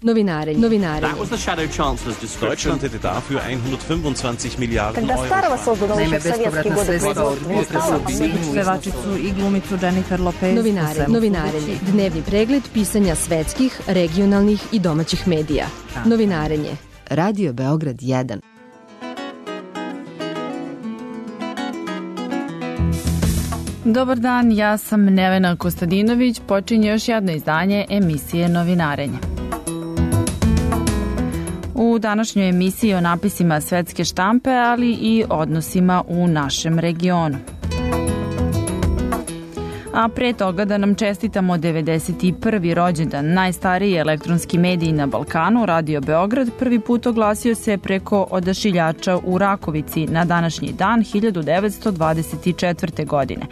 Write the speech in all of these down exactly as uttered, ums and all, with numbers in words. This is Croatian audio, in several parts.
Novinarenje. Novinarenje. That was the Shadow Chancellor's description. Deutschland hätte dafür hundertfünfundzwanzig Milliarden Когда Euro. Starova создана еще в советские годы производства. Pevačicu i glumicu Jennifer Lopez. Novinarenje. Novinarenje. Dnevni pregled pisanja svetskih, regionalnih i domaćih medija. Novinarenje. Radio Beograd jedan. Dobar dan, ja sam Nevena Kostadinović. Počinje još jedno izdanje emisije Novinarenje. U današnjoj emisiji o napisima svetske štampe, ali i odnosima u našem regionu. A pre toga da nam čestitamo devedeset prvi rođendan. Najstariji elektronski medij na Balkanu, Radio Beograd, prvi put oglasio se preko odašiljača u Rakovici na današnji dan hiljadu devetsto dvadeset četvrte. godine.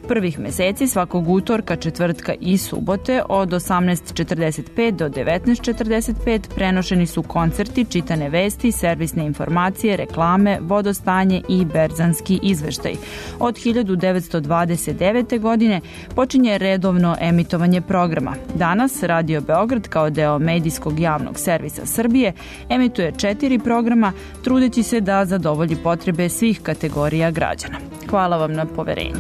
Prvih meseci svakog utorka, četvrtka i subote od osamnaest četrdeset pet do devetnaest četrdeset pet prenošeni su koncerti, čitane vesti, servisne informacije, reklame, vodostanje i berzanski izveštaj. Od hiljadu devetsto dvadeset devete. godine počinje redovno emitovanje programa. Danas Radio Beograd kao deo medijskog javnog servisa Srbije emituje četiri programa, trudeći se da zadovolji potrebe svih kategorija građana. Hvala vam na poverenju.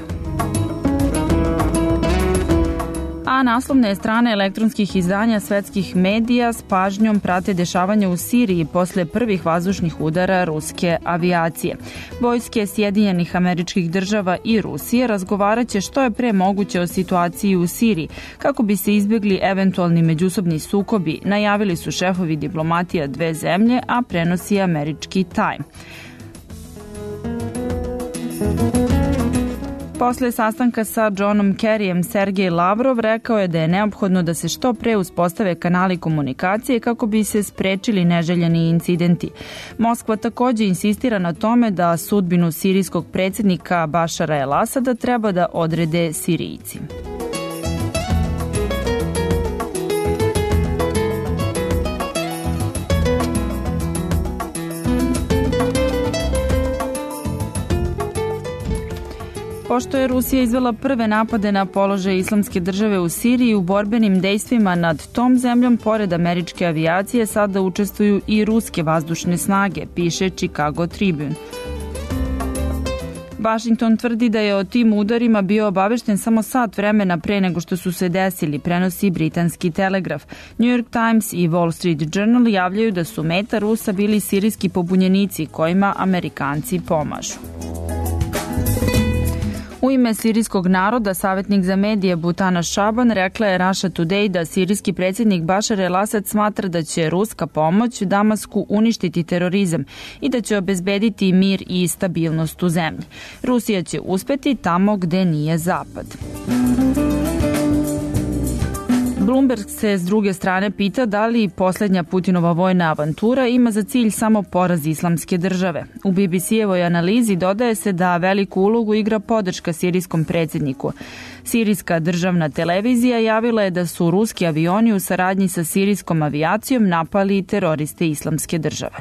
A naslovne strane elektronskih izdanja svetskih medija s pažnjom prate dešavanja u Siriji posle prvih vazdušnih udara ruske avijacije. Vojske Sjedinjenih Američkih Država i Rusije razgovaraće što je pre moguće o situaciji u Siriji, kako bi se izbjegli eventualni međusobni sukobi, najavili su šefovi diplomatija dve zemlje, a prenosi američki Time. Posle sastanka sa Johnom Kerryjem, Sergej Lavrov rekao je da je neophodno da se što pre uspostave kanali komunikacije kako bi se sprečili neželjeni incidenti. Moskva takođe insistira na tome da sudbinu sirijskog predsjednika Bašara el-Asada treba da odrede Sirijci. Pošto je Rusija izvela prve napade na položaj Islamske države u Siriji, u borbenim dejstvima nad tom zemljom, pored američke avijacije, sada učestvuju i ruske vazdušne snage, piše Chicago Tribune. Washington tvrdi da je o tim udarima bio obavešten samo sat vremena pre nego što su se desili, prenosi britanski Telegraf. New York Times i Wall Street Journal javljaju da su meta Rusa bili sirijski pobunjenici kojima Amerikanci pomažu. U ime sirijskog naroda, savjetnik za medije Butana Šaban rekla je Russia Today da sirijski predsjednik Bašar el-Asad smatra da će ruska pomoć Damasku uništiti terorizam i da će obezbediti mir i stabilnost u zemlji. Rusija će uspeti tamo gde nije Zapad. Bloomberg se s druge strane pita da li posljednja Putinova vojna avantura ima za cilj samo poraz Islamske države. U B B C-evoj analizi dodaje se da veliku ulogu igra podrška sirijskom predsjedniku. Sirijska državna televizija javila je da su ruski avioni u saradnji sa sirijskom avijacijom napali teroriste Islamske države.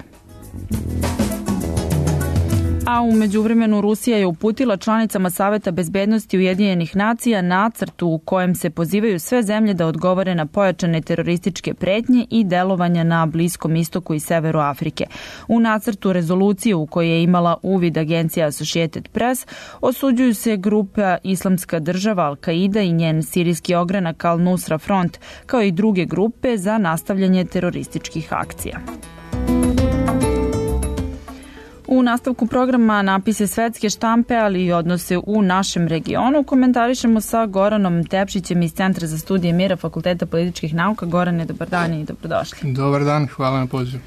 A u međuvremenu Rusija je uputila članicama Saveta bezbednosti Ujedinjenih nacija nacrt u kojem se pozivaju sve zemlje da odgovore na pojačane terorističke pretnje i delovanja na Bliskom istoku i severu Afrike. U nacrtu rezolucije u kojoj je imala uvid agencija Associated Press osuđuju se grupa Islamska država Al-Qaida i njen sirijski ogranak Al-Nusra Front, kao i druge grupe za nastavljanje terorističkih akcija. U nastavku programa napise svetske štampe, ali i odnose u našem regionu, komentarišemo sa Goranom Tepšićem iz Centra za studije mira Fakulteta političkih nauka. Gorane, dobar dan i dobrodošli. Dobar dan, hvala na pozivu.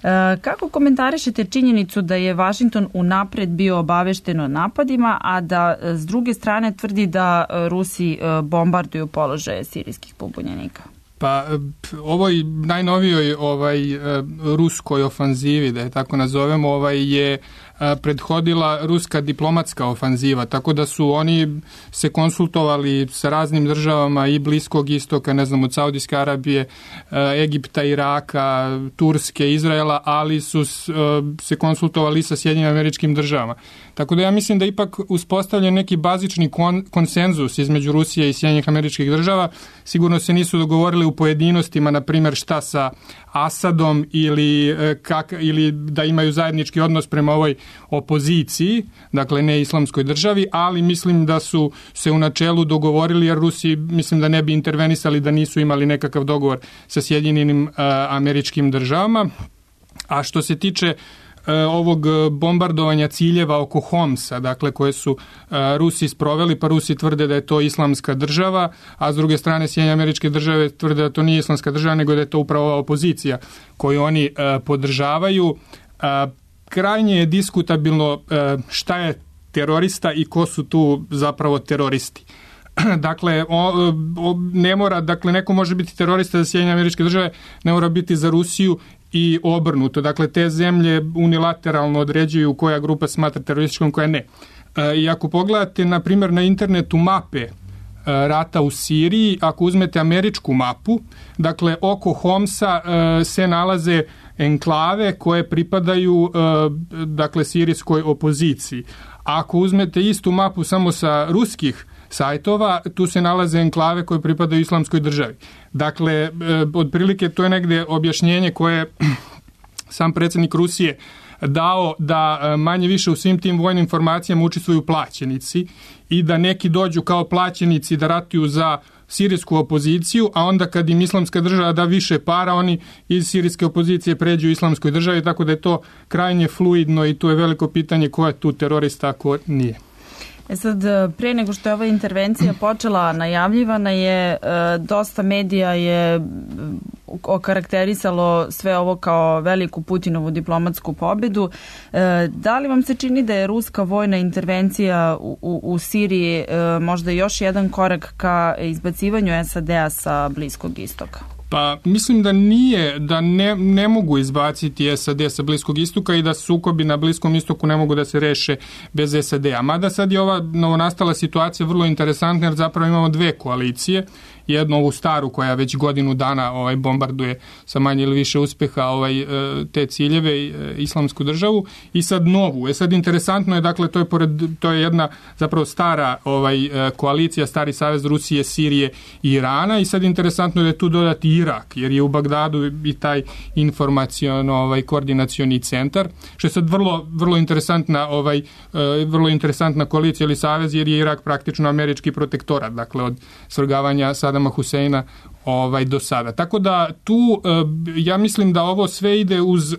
E, kako komentarišete činjenicu da je Washington unapred bio obavešten o napadima, a da s druge strane tvrdi da Rusi bombarduju položaje sirijskih pobunjenika? Pa ovoj najnovijoj ovaj ruskoj ofanzivi, da je tako nazovemo, ovaj je prethodila ruska diplomatska ofanziva, tako da su oni se konsultovali sa raznim državama i Bliskog istoka, ne znam, od Saudijske Arabije, Egipta, Iraka, Turske, Izraela, ali su se konsultovali sa Sjedinjenim Američkim Državama. Tako da ja mislim da ipak uspostavljen neki bazični kon, konsenzus između Rusije i Sjedinjenih Američkih Država. Sigurno se nisu dogovorili u pojedinostima, na primjer šta sa Asadom ili, kak, ili da imaju zajednički odnos prema ovoj opoziciji, dakle ne islamskoj državi, ali mislim da su se u načelu dogovorili, jer Rusi mislim da ne bi intervenisali da nisu imali nekakav dogovor sa Sjedinjenim uh, Američkim Državama. A što se tiče ovog bombardovanja ciljeva oko Homsa, dakle koje su uh, Rusi sproveli, pa Rusi tvrde da je to islamska država, a s druge strane Sjedinjene Američke Države tvrde da to nije islamska država, nego da je to upravo ova opozicija koju oni uh, podržavaju. Uh, krajnje je diskutabilno uh, šta je terorista i ko su tu zapravo teroristi. Dakle, o, o, ne mora, dakle, neko može biti terorista za Sjedinjene Američke Države, ne mora biti za Rusiju i obrnuto. Dakle, te zemlje unilateralno određuju koja grupa smatra terorističkom, koja ne. E, I ako pogledate, na primjer, na internetu mape e, rata u Siriji, ako uzmete američku mapu, dakle, oko Homsa e, se nalaze enklave koje pripadaju e, dakle, sirijskoj opoziciji. Ako uzmete istu mapu samo sa ruskih sajtova, tu se nalaze enklave koje pripadaju islamskoj državi. Dakle, e, otprilike to je negdje objašnjenje koje sam predsjednik Rusije dao da manje više u svim tim vojnim formacijama učestvuju plaćenici i da neki dođu kao plaćenici da ratuju za sirijsku opoziciju, a onda kad im islamska država da više para, oni iz sirijske opozicije pređu u islamskoj državi, tako da je to krajnje fluidno i tu je veliko pitanje ko je tu terorista, a ko nije. E sad, pre nego što je ova intervencija počela, najavljivana je, dosta medija je okarakterisalo sve ovo kao veliku Putinovu diplomatsku pobedu. Da li vam se čini da je ruska vojna intervencija u, u, u Siriji možda još jedan korak ka izbacivanju S A D-a sa Bliskog istoka? Pa mislim da nije, da ne, ne mogu izbaciti S A D sa Bliskog istoka i da sukobi na Bliskom istoku ne mogu da se reše bez S A D-a. Mada sad je ova novonastala situacija vrlo interesantna, jer zapravo imamo dve koalicije. Jednu ovu staru koja već godinu dana ovaj bombarduje sa manje ili više uspjeha ovaj te ciljeve islamsku državu, i sad novu. E sad interesantno je, dakle to je pored, to je jedna zapravo stara ovaj koalicija, stari savez Rusije, Sirije i Irana, i sad interesantno je da je tu dodati Irak, jer je u Bagdadu i taj informaciono ovaj koordinacioni centar, što je sad vrlo vrlo interesantna ovaj vrlo interesantna koalicija ili savez, jer je Irak praktično američki protektorat, dakle od svrgavanja Sadama Huseina ovaj do sada. Tako da tu ja mislim da ovo sve ide uz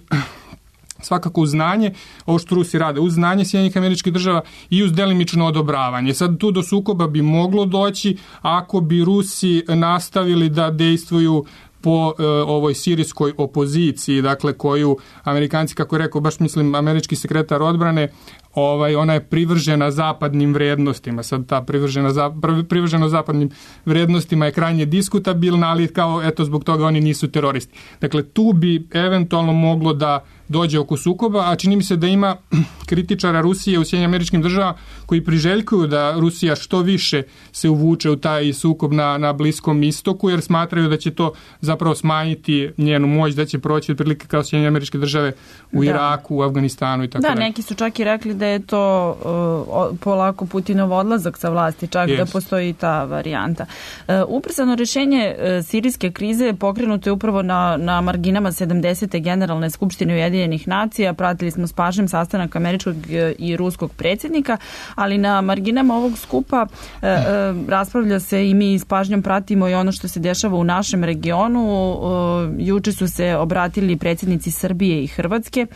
svakako uz znanje, ovo što Rusi rade, uz znanje Sjedinjenih Američkih Država i uz delimično odobravanje. Sad tu do sukoba bi moglo doći ako bi Rusi nastavili da dejstvuju po e, ovoj sirijskoj opoziciji, dakle koju Amerikanci, kako je rekao, baš mislim američki sekretar odbrane, ovaj ona je privržena zapadnim vrijednostima. Sad ta privržena za, privrženo zapadnim vrijednostima je krajnje diskutabilna, ali kao eto zbog toga oni nisu teroristi. Dakle tu bi eventualno moglo da dođe oko sukoba, a čini mi se da ima kritičara Rusije u Sjedinjenim Američkim Državama koji priželjkuju da Rusija što više se uvuče u taj sukob na, na Bliskom istoku, jer smatraju da će to zapravo smanjiti njenu moć, da će proći otprilike kao Sjedinjene Američke Države u da. Iraku, u Afganistanu i tako dalje. Da, neki su čak i rekli da je to uh, polako Putinov odlazak sa vlasti, čak yes. da postoji ta varijanta. Uh, ubrzano rješenje uh, sirijske krize pokrenuto je upravo na, na marginama sedamdesete Generalne skupštine Ujedinjenih nacija. Pratili smo s pažnjom sastanak američkog i ruskog predsjednika, ali na marginama ovog skupa uh, uh, raspravlja se i mi s pažnjom pratimo i ono što se dešava u našem regionu. Uh, juče su se obratili predsjednici Srbije i Hrvatske,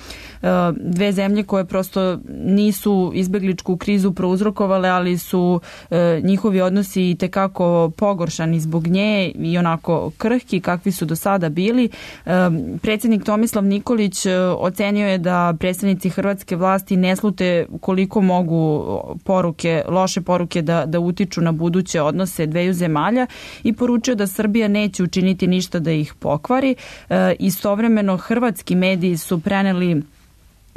uh, dve zemlje koje prosto nisu izbegličku krizu prouzrokovale, ali su e, njihovi odnosi i tekako pogoršani zbog nje i onako krhki kakvi su do sada bili. E, predsjednik Tomislav Nikolić e, ocenio je da predstavnici hrvatske vlasti ne slute koliko mogu poruke, loše poruke da, da utiču na buduće odnose dveju zemalja i poručio da Srbija neće učiniti ništa da ih pokvari. E, istovremeno hrvatski mediji su preneli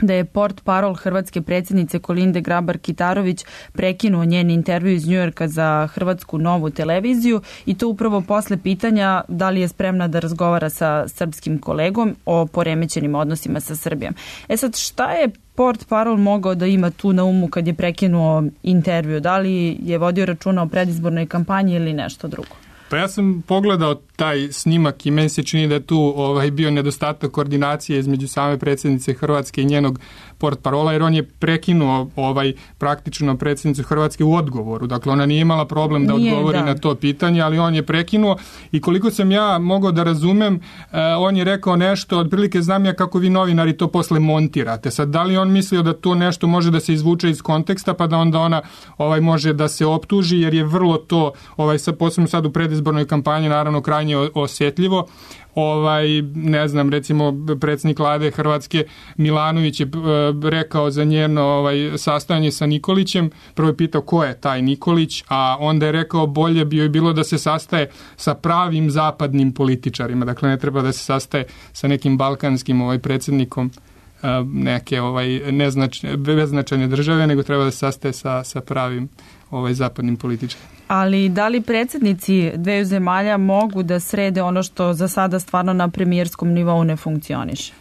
da je port parol hrvatske predsjednice Kolinde Grabar-Kitarović prekinuo njen intervju iz Njujorka za Hrvatsku novu televiziju i to upravo posle pitanja da li je spremna da razgovara sa srpskim kolegom o poremećenim odnosima sa Srbijom. E sad, šta je port parol mogao da ima tu na umu kad je prekinuo intervju? Da li je vodio računa o predizbornoj kampanji ili nešto drugo? Pa ja sam pogledao taj snimak i meni se čini da je tu ovaj, bio nedostatak koordinacije između same predsjednice Hrvatske i njenog portparola, jer on je prekinuo ovaj, praktično predsjednicu Hrvatske u odgovoru. Dakle, ona nije imala problem da nije, odgovori da. na to pitanje, ali on je prekinuo i koliko sam ja mogao da razumem, eh, on je rekao nešto, otprilike znam ja kako vi novinari to posle montirate. Sad, da li on mislio da to nešto može da se izvuče iz konteksta, pa da onda ona ovaj, može da se optuži, jer je vrlo to, ovaj, sa, posebno sad u predizbornoj kampanji, naravno krajnje osjetljivo. Ovaj, ne znam, recimo predsjednik vlade Hrvatske Milanović je e, rekao za njeno ovaj, sastajanje sa Nikolićem, prvo je pitao ko je taj Nikolić, a onda je rekao bolje bi joj bilo da se sastaje sa pravim zapadnim političarima, dakle ne treba da se sastaje sa nekim balkanskim ovaj, predsjednikom e, neke ovaj, neznačne, beznačajne države, nego treba da se sastaje sa, sa pravim ovaj, zapadnim političarima. Ali da li predsjednici dveju zemalja mogu da srede ono što za sada stvarno na premijerskom nivou ne funkcioniše?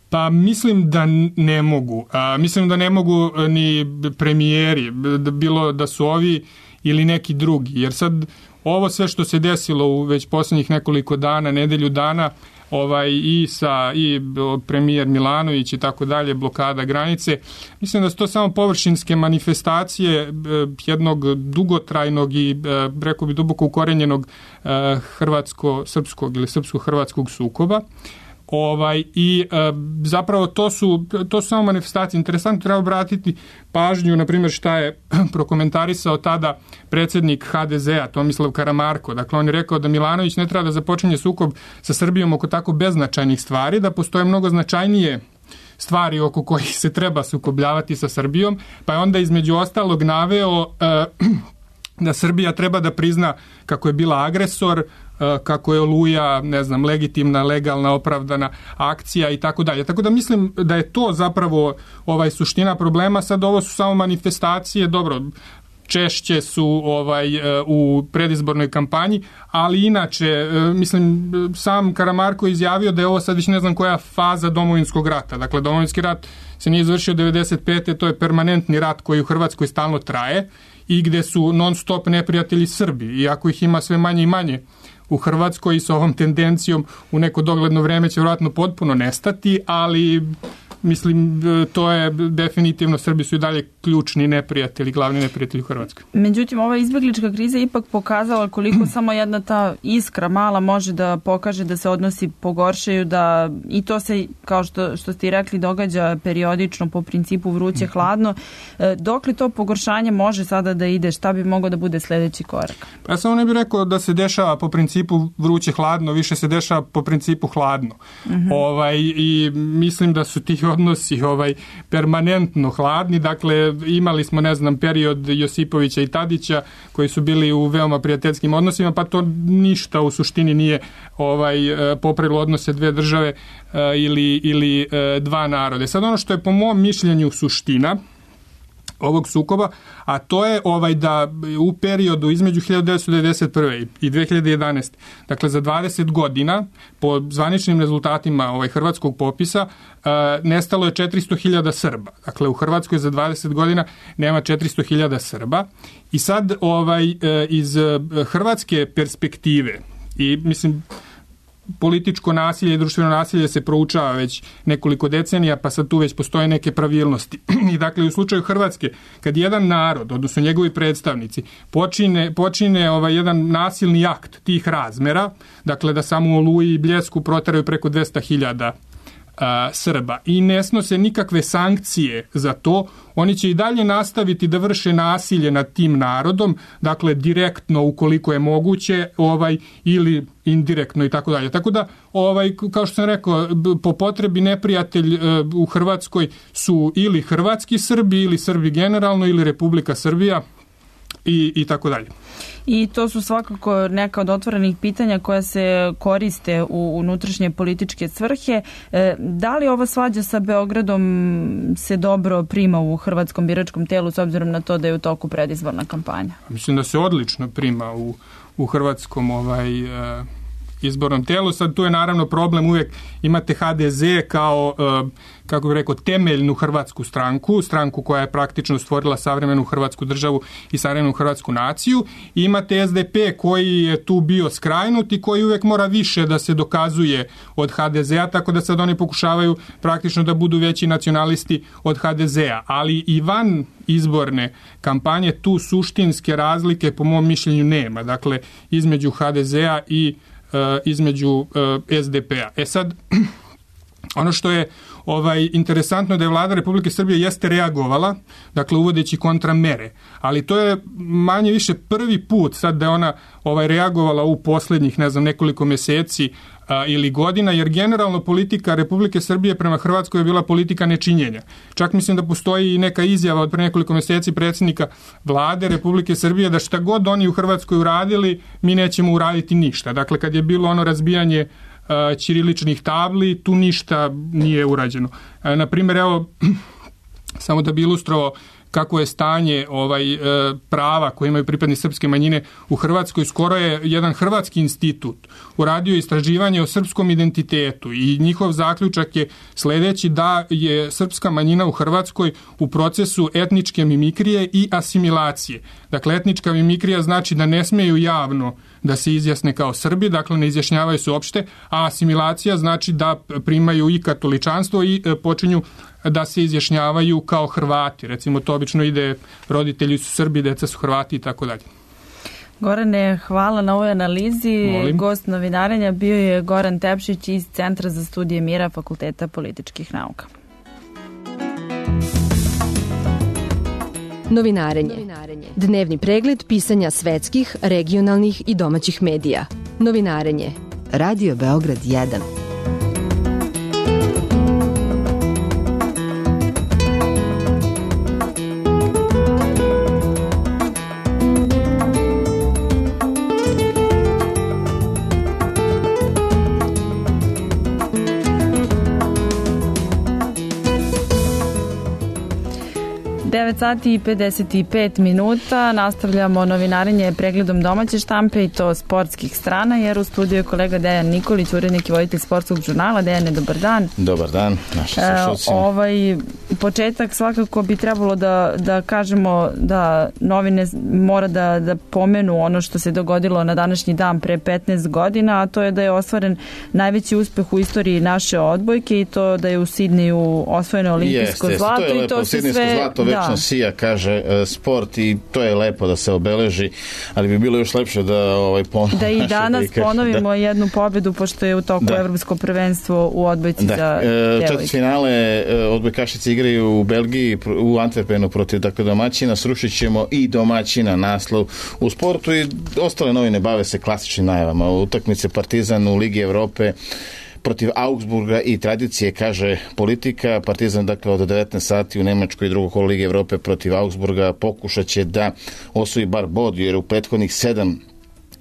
Pa mislim da ne mogu. A, mislim da ne mogu ni premijeri, bilo da su ovi ili neki drugi. Jer sad ovo sve što se desilo u već posljednjih nekoliko dana, nedelju dana, ovaj i sa i premijer Milanović i tako dalje, blokada granice. Mislim da su to samo površinske manifestacije jednog dugotrajnog i rekao bi duboko ukorenjenog hrvatsko-srpskog ili srpsko-hrvatskog sukoba. Ovaj, i e, zapravo to su, to su samo manifestacije. Interesantno treba obratiti pažnju, na primjer, šta je prokomentarisao tada predsjednik ha de zea, Tomislav Karamarko. Dakle, on je rekao da Milanović ne treba da započinje sukob sa Srbijom oko tako beznačajnih stvari, da postoje mnogo značajnije stvari oko kojih se treba sukobljavati sa Srbijom, pa je onda između ostalog naveo e, da Srbija treba da prizna kako je bila agresor, kako je Oluja, ne znam, legitimna, legalna, opravdana akcija i tako dalje. Tako da mislim da je to zapravo ovaj suština problema. Sad ovo su samo manifestacije, dobro, češće su ovaj u predizbornoj kampanji, ali inače, mislim, sam Karamarko izjavio da je ovo sad već ne znam koja faza Domovinskog rata. Dakle, Domovinski rat se nije izvršio devedeset pete. To je permanentni rat koji u Hrvatskoj stalno traje i gde su non stop neprijatelji Srbi, iako ih ima sve manje i manje u Hrvatskoj i s ovom tendencijom u neko dogledno vreme će vjerojatno potpuno nestati, ali mislim to je definitivno, Srbi su i dalje ključni neprijatelji, glavni neprijatelji u Hrvatskoj. Međutim, ova izbjeglička kriza je ipak pokazala koliko samo jedna ta iskra mala može da pokaže da se odnosi pogoršaju, da i to se, kao što, što ste i rekli, događa periodično po principu vruće hladno. Dok li to pogoršanje može sada da ide, šta bi mogao da bude sljedeći korak? Pa ja samo ne bih rekao da se dešava po principu vruće hladno, više se dešava po principu hladno. Uh-huh. Ovaj, i mislim da su ti odnosi ovaj permanentno hladni, dakle imali smo, ne znam, period Josipovića i Tadića koji su bili u veoma prijateljskim odnosima, pa to ništa u suštini nije ovaj popravilo odnose dve države ili, ili dva narode. Sad ono što je po mom mišljenju suština ovog sukoba, a to je ovaj da u periodu između hiljadu devetsto devedeset prve i dve hiljade jedanaeste. Dakle za dvadeset godina po zvaničnim rezultatima ovaj hrvatskog popisa uh, nestalo je četiristo hiljada Srba. Dakle u Hrvatskoj za dvadeset godina nema četiristo hiljada Srba i sad ovaj uh, iz uh, hrvatske perspektive i mislim političko nasilje i društveno nasilje se proučava već nekoliko decenija, pa sad tu već postoje neke pravilnosti. I dakle, u slučaju Hrvatske, kad jedan narod, odnosno njegovi predstavnici, počine, počine ovaj jedan nasilni akt tih razmera, dakle da samo u Oluji i Bljesku proteraju preko dvesta hiljada Srba i ne snose nikakve sankcije za to, oni će i dalje nastaviti da vrše nasilje nad tim narodom, dakle direktno ukoliko je moguće, ovaj ili indirektno i tako dalje. Tako da, ovaj kao što sam rekao, po potrebi neprijatelj u Hrvatskoj su ili hrvatski Srbi ili Srbi generalno ili Republika Srbija. i, i tako dalje. I to su svakako neka od otvorenih pitanja koja se koriste u unutrašnje političke svrhe. E, da li ova svađa sa Beogradom se dobro prima u hrvatskom biračkom telu s obzirom na to da je u toku predizborna kampanja? Mislim da se odlično prima u, u hrvatskom ovaj, e, izbornom telu. Sad tu je naravno problem, uvijek imate ha de ze kao, e, kako bih rekao, temeljnu hrvatsku stranku, stranku koja je praktično stvorila savremenu hrvatsku državu i savremenu hrvatsku naciju. I imate es de pe koji je tu bio skrajnut i koji uvijek mora više da se dokazuje od ha de zea, tako da sad oni pokušavaju praktično da budu veći nacionalisti od ha de zea. Ali i van izborne kampanje tu suštinske razlike po mom mišljenju nema. Dakle, između ha de zea i uh, između uh, es de pea. E sad, ono što je ovaj, interesantno da je vlada Republike Srbije jeste reagovala, dakle uvodeći kontramere, ali to je manje više prvi put sad da je ona ovaj, reagovala u posljednjih, ne znam, nekoliko mjeseci a, ili godina, jer generalno politika Republike Srbije prema Hrvatskoj je bila politika nečinjenja. Čak mislim da postoji i neka izjava od pre nekoliko mjeseci predsjednika vlade Republike Srbije da šta god oni u Hrvatskoj uradili, mi nećemo uraditi ništa. Dakle, kad je bilo ono razbijanje ćiriličnih tabli, tu ništa nije urađeno. Na primjer, evo, samo da bi ilustrovao kako je stanje ovaj prava koje imaju pripadnici srpske manjine u Hrvatskoj, skoro je jedan hrvatski institut uradio istraživanje o srpskom identitetu i njihov zaključak je sljedeći, da je srpska manjina u Hrvatskoj u procesu etničke mimikrije i asimilacije. Dakle, etnička mimikrija znači da ne smeju javno da se izjasne kao Srbi, dakle ne izjašnjavaju se uopšte, a asimilacija znači da primaju i katoličanstvo i počinju da se izjašnjavaju kao Hrvati. Recimo, to obično ide, roditelji su Srbi, deca su Hrvati i tako dalje. Gorane, hvala na ovoj analizi. Molim. Gost novinarenja bio je Goran Tepšić iz Centra za studije mira Fakulteta političkih nauka. Novinarenje. Dnevni pregled pisanja svetskih, regionalnih i domaćih medija. Novinarenje. Radio Beograd jedan. devet sati i pedeset pet minuta, nastavljamo novinarenje pregledom domaće štampe i to sportskih strana, jer u studiju je kolega Dejan Nikolić, urednik i voditelj sportskog žurnala. Dejane, dobar dan. Dobar dan, naši slušalci. E, ovaj početak svakako bi trebalo da, da kažemo da novine mora da, da pomenu ono što se dogodilo na današnji dan pre petnaest godina, a to je da je ostvaren najveći uspeh u istoriji naše odbojke i to da je u Sidneju osvojeno olimpijsko Jeste, zlato. to je lepo, i to se sidnejsko sve, zlato večno da. sija, kaže uh, sport, i to je lepo da se obeleži, ali bi bilo još lepše da ovaj ponovimo. Da i danas da ponovimo da. jednu pobedu, pošto je u toku da. Evropsko prvenstvo u odbojci da. za devojke. Četvrtfinale odbojkašice igraju u Belgiji, u Antwerpenu protiv dakle domaćina. Srušit ćemo i domaćina naslov u sportu, i ostale novine bave se klasičnim najavama. Utakmice Partizan u Ligi Evrope protiv Augsburga i tradicije, kaže Politika. Partizan, dakle, od devetnaest sati u Nemačkoj, drugo kolo Lige Evrope protiv Augsburga, pokušat će da osvoji bar bod, jer u prethodnih sedam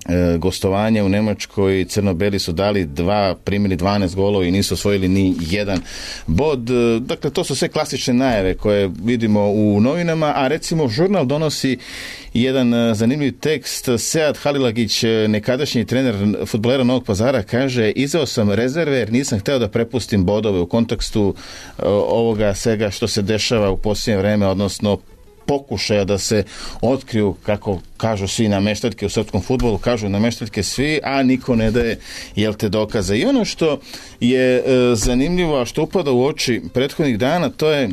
e, gostovanja u Nemačkoj crno-beli su dali dva, primili dvanaest golova i nisu osvojili ni jedan bod. E, dakle, to su sve klasične najave koje vidimo u novinama, a recimo žurnal donosi jedan zanimljiv tekst. Sead Halilagić, nekadašnji trener fudbalera Novog Pazara, kaže: izveo sam rezerve jer nisam hteo da prepustim bodove u kontekstu ovoga svega što se dešava u posljednje vreme, odnosno pokušaja da se otkriju, kako kažu svi, nameštaljke u srpskom fudbalu, kažu nameštaljke svi, a niko ne daje, jel te, dokaze. I ono što je e, zanimljivo, a što upada u oči prethodnih dana, to je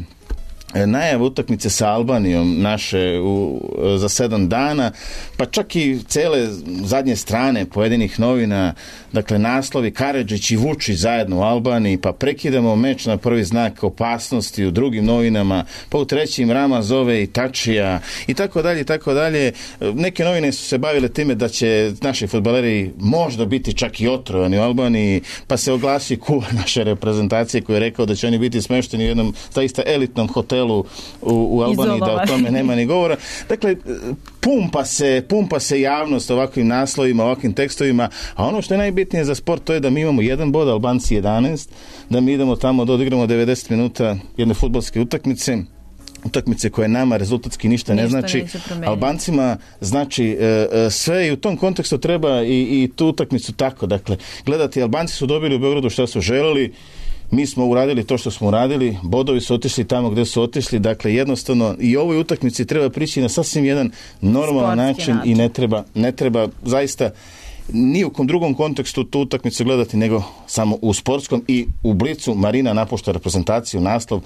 najava utakmice sa Albanijom naše u, za sedam dana, pa čak i cele zadnje strane pojedinih novina, dakle naslovi Karadžić i Vučić zajedno u Albaniji, pa prekidamo meč na prvi znak opasnosti u drugim novinama, pa u trećim Rama zove i Tačija i tako dalje i tako dalje. Neke novine su se bavile time da će naši fudbaleri možda biti čak i otrovani u Albaniji, pa se oglasi kuvar naše reprezentacije koji je rekao da će oni biti smešteni u jednom zaista elitnom hotelu mundijalu u, u Albaniji, da o tome nema ni govora. Dakle, pumpa se, pumpa se javnost ovakvim naslovima, ovakvim tekstovima, a ono što je najbitnije za sport to je da mi imamo jedan bod, Albanci jedanaest, da mi idemo tamo da odigramo devedeset minuta jedne fudbalske utakmice, utakmice koje nama rezultatski ništa, ništa ne znači. Albancima znači e, e, sve i u tom kontekstu treba i, i tu utakmicu tako. Dakle, gledati, Albanci su dobili u Beogradu što su želeli, mi smo uradili to što smo uradili, bodovi su otišli tamo gdje su otišli, dakle jednostavno i ovoj utakmici treba prići na sasvim jedan normalan način, način i ne treba, ne treba zaista ni u kom drugom kontekstu tu utakmicu gledati nego samo u sportskom. I u Blicu Marina napušta reprezentaciju, naslov.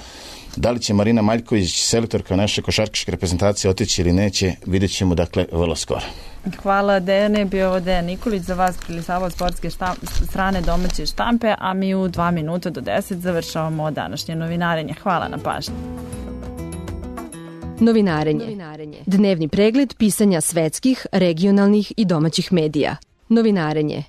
Da li će Marina Maljković, selektorka naše košarkaške reprezentacije, otići ili neće, vidjet ćemo dakle vrlo skoro. Hvala Dejane, bio ovo Dejan Nikolić za vas prilisavao sportske štamp, strane domaće štampe, a mi u dva minuta do deset završavamo današnje novinarenje. Hvala na pažnji. Novinarenje. Dnevni pregled pisanja svetskih, regionalnih i domaćih medija. Novinarenje.